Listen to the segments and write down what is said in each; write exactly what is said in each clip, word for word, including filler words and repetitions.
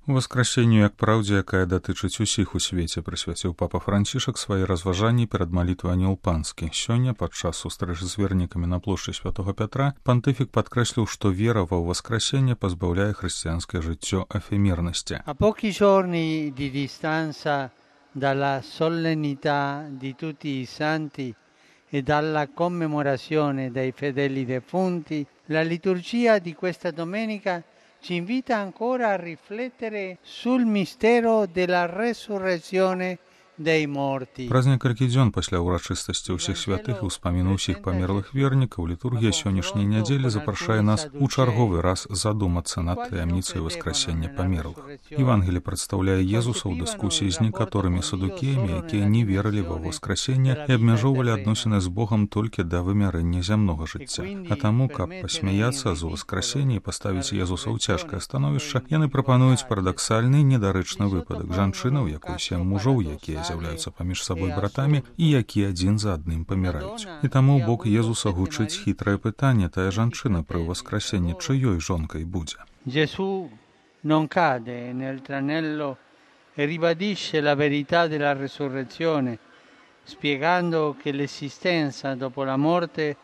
Воскрасенню як праўдзе, якая датычыць усіх у свеце, прысвяціў папа Францішак свае разважанні перад малітвай Анёл Панскі. Сёння, падчас сустрэчы з вернікамі на плошчы Святога Пятра, пантыфік падкрэсліў, што вера ва ўваскрасенне пазбаўляе хрысціянскае жыццё эфемернасці. A pochi giorni di distanza dalla solennità di tutti i santi e dalla commemorazione dei fedeli defunti, la liturgia di questa domenica ci invita ancora a riflettere sul mistero della resurrezione dei morti. Праз некалькі дзён пасля ўрачыстасці ўсіх святых і ўспаміну ўсіх памерлых вернікаў літургія сённяшняй нядзелі запрашае нас у чарговы раз задумацца над таямніцай васкрасення памерлых. Евангелі прадстаўляе Езуса ў дыскусіі з некаторымі садукеямі, якія не верылі ва воскрасенне і абмяжоўвалі адносіны з Богам толькі да вымярэння зямнога жыцця. А таму, каб пасмяяцца з воскрасення і паставіць Езуса ў цяжкае становішча, яны прапануюць парадаксальны недарэчны выпадак жанчыны, у якой сем мужоў, якія з'яўляюцца паміж сабой братамі і якія адзін за адным паміраюць. І таму бок Езуса гучыць хітрае пытанне: тая жанчына пры ўваскрасенні чыёй жонкай будзе? Gesù non cade nel tranello e ribadisce la verità della resurrezione, spiegando che l'esistenza dopo la morte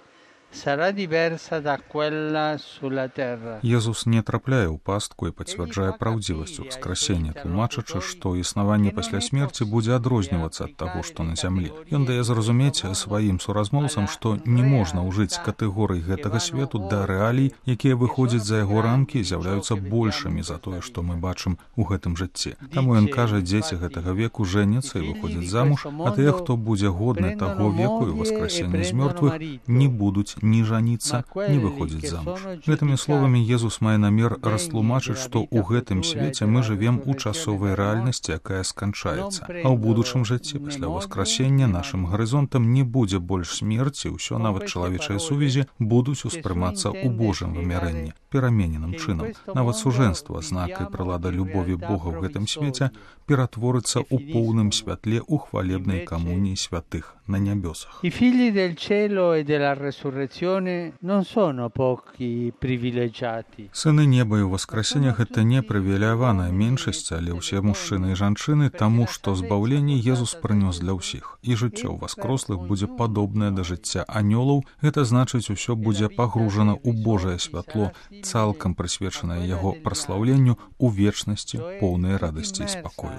sarà diversa da quella sulla terra. Езус не трапляе ў пастку і пацвярджае праўдзівасць ўваскрасення, тлумачачы, што існаванне пасля смерці будзе адрознівацца ад таго, што на зямлі. Ён дае зразумець сваім суразмоўцам, што не можна ўжыць катэгорый гэтага свету да рэалій, якія выходзяць за яго рамкі і з'яўляюцца большымі за тое, што мы бачым у гэтым жыцці. Таму ён кажа, дзеці гэтага веку жэняцца і выходзяць замуж, а тыя, хто будзе годны таго веку і воскрасення з мёртвых, не будуць ні жаніцца, ні выходзіць замуж. Гэтымі словамі Езус мае намер растлумачыць, што ў гэтым свеце мы жывем у часовай рэальнасці, якая сканчаецца. А ў будучым жыцці пасля воскрасення нашым гарызонтам не будзе больш смерці, ўсё, нават чалавечыя сувязі, будуць успрымацца ў Божым вымярэнні, перамененым чынам. Нават сужэнства, знак і прылада любові Бога ў гэтым свеце, ператворыцца ў поўным святле ў хвалебнай камуніі святых на нябёсах. I figli del cielo e della resurrezione non sono pochi privilegiati. Сыны неба і воскрасення — гэта не прывілеяваная меншасць, але ўсе мужчыны і жанчыны, таму што збаўленне Езус прынёс для ўсіх. І жыццё воскрослых будзе падобнае да жыцця анёлаў, гэта значыць, усё будзе пагружана ў Божае святло, цалкам прысвечанае яго праслаўленню ў вечнасці, поўнай радасці і спакою.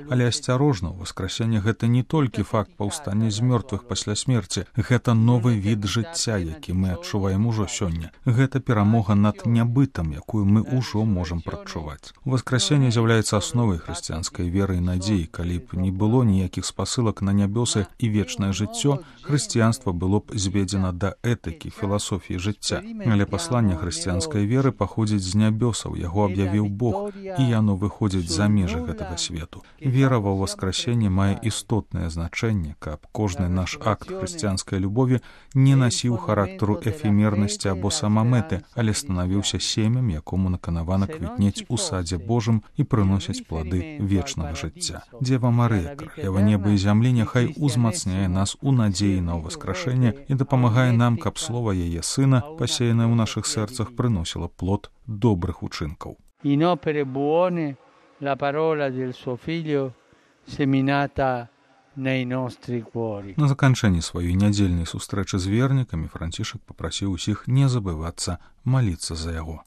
Але асцярожна, воскрасення — гэта не толькі факт паўстання з мёртвых пасля смерці, гэта новы від жыцця, які мы адчуваем ужо сёння. Гэта перамога над нябытам, якую мы ўжо можам прадчуваць. Воскрасенне з'яўляецца асновай хрысціянскай веры і надзеі. Калі б не было ніякіх спасылак на нябёсы і вечнае жыццё, хрысціянства было б зведзена да этыкі, філасофіі жыцця. Але пасланне хрысціянскай веры паходзіць з нябёсаў, яго аб'явіў Бог, і яно выходзіць за межы гэтага свету. Вера ва ўваскрасенне мае істотнае значэнне, каб кожны наш акт хрысціянскай любові не насіў характару эфемернасці або самамэты, але станавіўся семем, якому наканавана квітнець у садзе Божым і прыносіць плады вечнага жыцця. Дзева Марыя, каралева неба і зямлі, няхай узмацняе нас у надзеі на ўваскрашэнне і дапамагае нам, каб слова яе Сына, пасеянае ў нашых сэрцах, прыносіла плод добрых учынкаў. In opere buone la parola del suo figlio seminata nei nostri cuori. На заканчэнні сваёй нядзельнай сустрэчы з вернікамі Францішак папрасіў усіх не забывацца маліцца за яго.